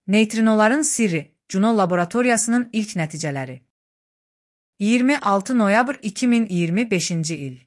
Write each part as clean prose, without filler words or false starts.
Neytrinoların sirri, Juno laboratoriyasının ilk nəticələri. 26 noyabr 2025-ci il.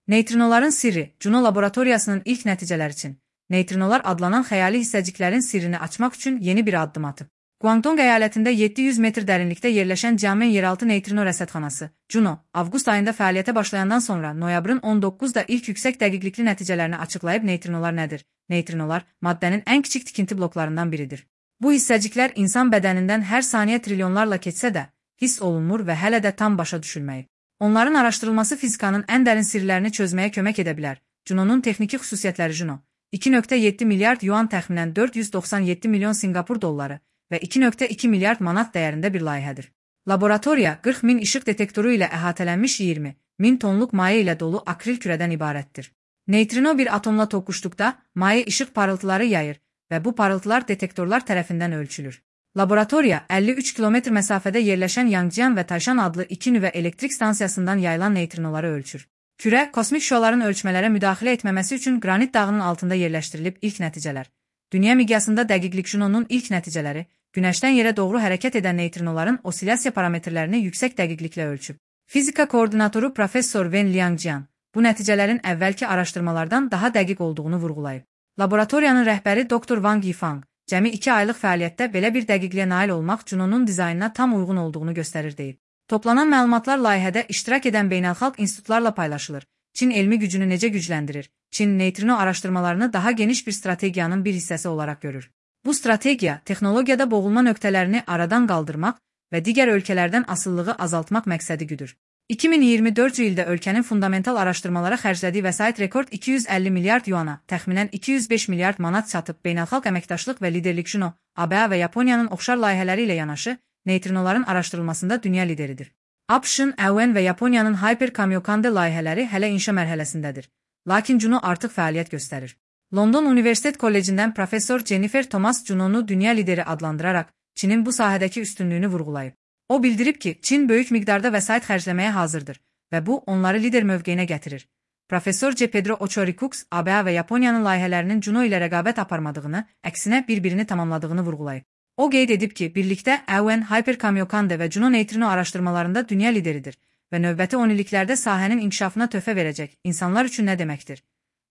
Neytrinoların sirri, Juno laboratoriyasının ilk nəticələri üçün, neytrinolar adlanan xəyali hissəciklərin sirrini açmaq üçün yeni bir addım atıb. Guangdong əyalətində 700 metr dərinlikdə yerləşən Jiamen yeraltı neytrino rəsədxanası, Juno, avqust ayında fəaliyyətə başlayandan sonra noyabrın 19-da ilk yüksək dəqiqlikli nəticələrini açıqlayıb. Neytrinolar nədir? Neytrinolar, maddənin ən kiçik tikinti bloklarından biridir. Bu hissəciklər insan bədənindən hər saniyə trilyonlarla keçsə də, hiss olunmur və hələ də tam başa düşülməyib. Onların araşdırılması fizikanın ən dərin sirlərini çözməyə kömək edə bilər. Juno'nun texniki xüsusiyyətləri. Juno, 2,7 milyard yuan təxminən 497 milyon Sinqapur dolları və 2,2 milyard manat dəyərində bir layihədir. Laboratoriya 40 min işıq detektoru ilə əhatələnmiş 20 min tonluq maye ilə dolu akril kürədən ibarətdir. Neytrino bir atomla toqquşduqda maye işıq parıltıları yayır və bu parıltılar detektorlar tərəfindən ölçülür. Laboratoriya 53 kilometr məsafədə yerləşən Yangjian və Taishan adlı iki nüvə elektrik stansiyasından yayılan neytrinoları ölçür. Kürə, kosmik şüaların ölçmələrə müdaxilə etməməsi üçün qranit dağının altında yerləşdirilib. İlk nəticələr. Dünya miqyasında dəqiqlik. Juno'nun ilk nəticələri, Günəşdən yerə doğru hərəkət edən neytrinoların osilyasiya parametrlərini yüksək dəqiqliklə ölçüb. Fizika koordinatoru Professor Wen Liangjian bu nəticələrin əvvəlki araşdırmalardan daha dəqiq olduğunu vurğulayıb. Laboratoriyanın rəhbəri Dr. Wang Yifang, cəmi 2 aylıq fəaliyyətdə belə bir dəqiqliyə nail olmaq Juno'nun dizaynına tam uyğun olduğunu göstərir deyib. Toplanan məlumatlar layihədə iştirak edən beynəlxalq institutlarla paylaşılır. Çin elmi gücünü necə gücləndirir? Çin neytrino araşdırmalarını daha geniş bir strategiyanın bir hissəsi olaraq görür. Bu strategiya, texnologiyada boğulma nöqtələrini aradan qaldırmaq və digər ölkələrdən asılılığı azaltmaq məqsədi güdür. 2024-cü ildə ölkənin fundamental araşdırmalara xərclədiyi vəsait rekord 250 milyard yuana, təxminən 205 milyard manat çatıb. Beynəlxalq əməkdaşlıq və liderlik. Juno, ABŞ və Yaponiyanın oxşar layihələri ilə yanaşı, neytrinoların araşdırılmasında dünya lideridir. ABŞ-ın, EUN və Yaponiyanın Hyper Kamiokande layihələri hələ inşa mərhələsindədir. Lakin Juno artıq fəaliyyət göstərir. London Universitet Kollecindən professor Jennifer Thomas Juno'nu dünya lideri adlandıraraq Çinin bu sahədəki üstünlüyünü vurğulayıb. O bildirib ki, Çin böyük miqdarda vəsait xərcləməyə hazırdır və bu onları lider mövqeyinə gətirir. Professor C. Pedro Ochoricux, ABŞ və Yaponiyanın layihələrinin Juno ilə rəqabət aparmadığını, əksinə bir-birini tamamladığını vurğulayıb. O qeyd edib ki, birlikdə EUN, Hyper Kamiokande və Juno neytrino araşdırmalarında dünya lideridir və növbəti 10 illiklərdə sahənin inkişafına töhfə verəcək. İnsanlar üçün nə deməkdir?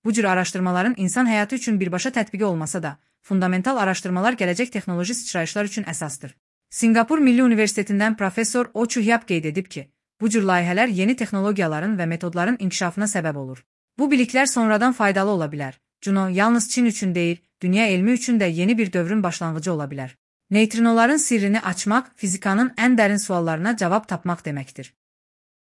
Bu cür araşdırmaların insan həyatı üçün birbaşa tətbiqi olmasa da, fundamental araşdırmalar gələcək texnoloji sıçrayışlar üçün əsasdır. Sinqapur Milli Universitetindən professor Oh Chu-hyap qeyd edib ki, bu cür layihələr yeni texnologiyaların və metodların inkişafına səbəb olur. Bu biliklər sonradan faydalı ola bilər. Juno yalnız Çin üçün deyil, dünya elmi üçün də yeni bir dövrün başlanğıcı ola bilər. Neytrinoların sirrini açmaq, fizikanın ən dərin suallarına cavab tapmaq deməkdir.